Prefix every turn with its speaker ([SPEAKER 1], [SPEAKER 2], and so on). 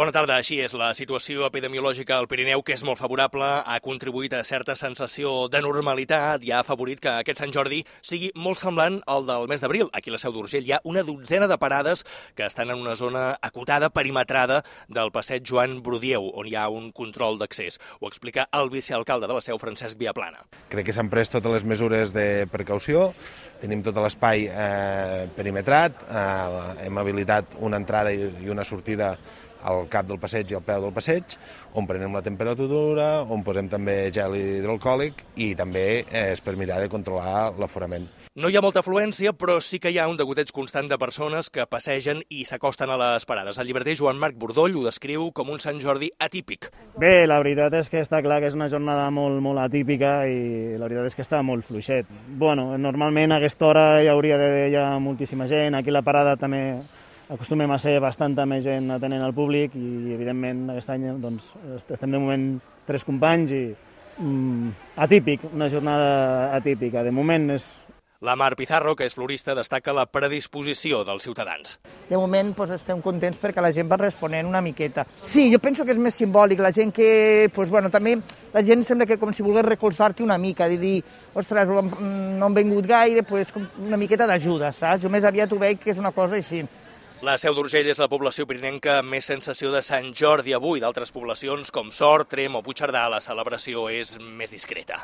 [SPEAKER 1] Bona tarda. Així és, la situació epidemiològica al Pirineu, que és molt favorable, ha contribuït a certa sensació de normalitat i ha afavorit que aquest Sant Jordi sigui molt semblant al del mes d'abril. Aquí a la Seu d'Urgell hi ha una dotzena de parades que estan en una zona acotada, perimetrada del passeig Joan Brudieu, on hi ha un control d'accés. Ho explica el vicealcalde de la Seu, Francesc Viaplana.
[SPEAKER 2] Crec que s'han pres totes les mesures de precaució, tenim tot l'espai perimetrat, hem habilitat una entrada i una sortida al cap del passeig i al peu del passeig, on prenem la temperatura, on posem també gel hidroalcohòlic i també és per mirar de controlar l'aforament.
[SPEAKER 1] No hi ha molta afluència, però sí que hi ha un degoteig constant de persones que passegen i s'acosten a les parades. El llibreter Joan Marc Bordoll ho descriu com un Sant Jordi atípic.
[SPEAKER 3] Bé, la veritat és que està clar que és una jornada molt atípica i la veritat és que està molt fluixet. Bueno, normalment a aquesta hora hi hauria d'haver ja moltíssima gent, aquí a la parada també acostumem a ser bastanta més gent atenent al públic i, evidentment, aquest any doncs, estem de moment 3 companys i atípic, una jornada atípica. De moment és...
[SPEAKER 1] La Mar Pizarro, que és florista, destaca la predisposició dels ciutadans.
[SPEAKER 4] De moment estem contents perquè la gent va responent una miqueta. Sí, jo penso que és més simbòlic, la gent que... també la gent sembla que com si volgués recolzar-te una mica, de dir, ostres, no han vingut gaire, una miqueta d'ajuda, saps? Jo més aviat ho veig que és una cosa així.
[SPEAKER 1] La Seu d'Urgell és la població pirinenca amb més sensació de Sant Jordi avui. D'altres poblacions com Sort, Tremp o Puigcerdà, la celebració és més discreta.